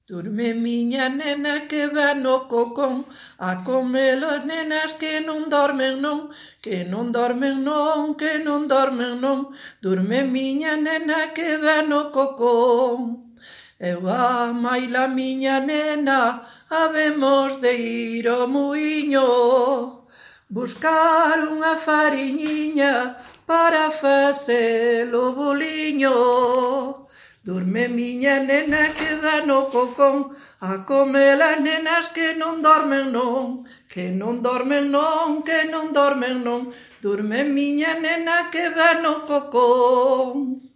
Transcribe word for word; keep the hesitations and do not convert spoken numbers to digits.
Durme miña nena que va no cocón a comer as nenas que non dormen non, que non dormen non, que non dormen non. Durme miña nena que va no cocón. Eu a maila miña nena habemos de ir ao muiño, buscar unha fariñiña para facer o boliño. Durme miña nena que va no cocón a comer as nenas que non dormen non, que non dormen non, que non dormen non. Durme miña nena que va no cocón.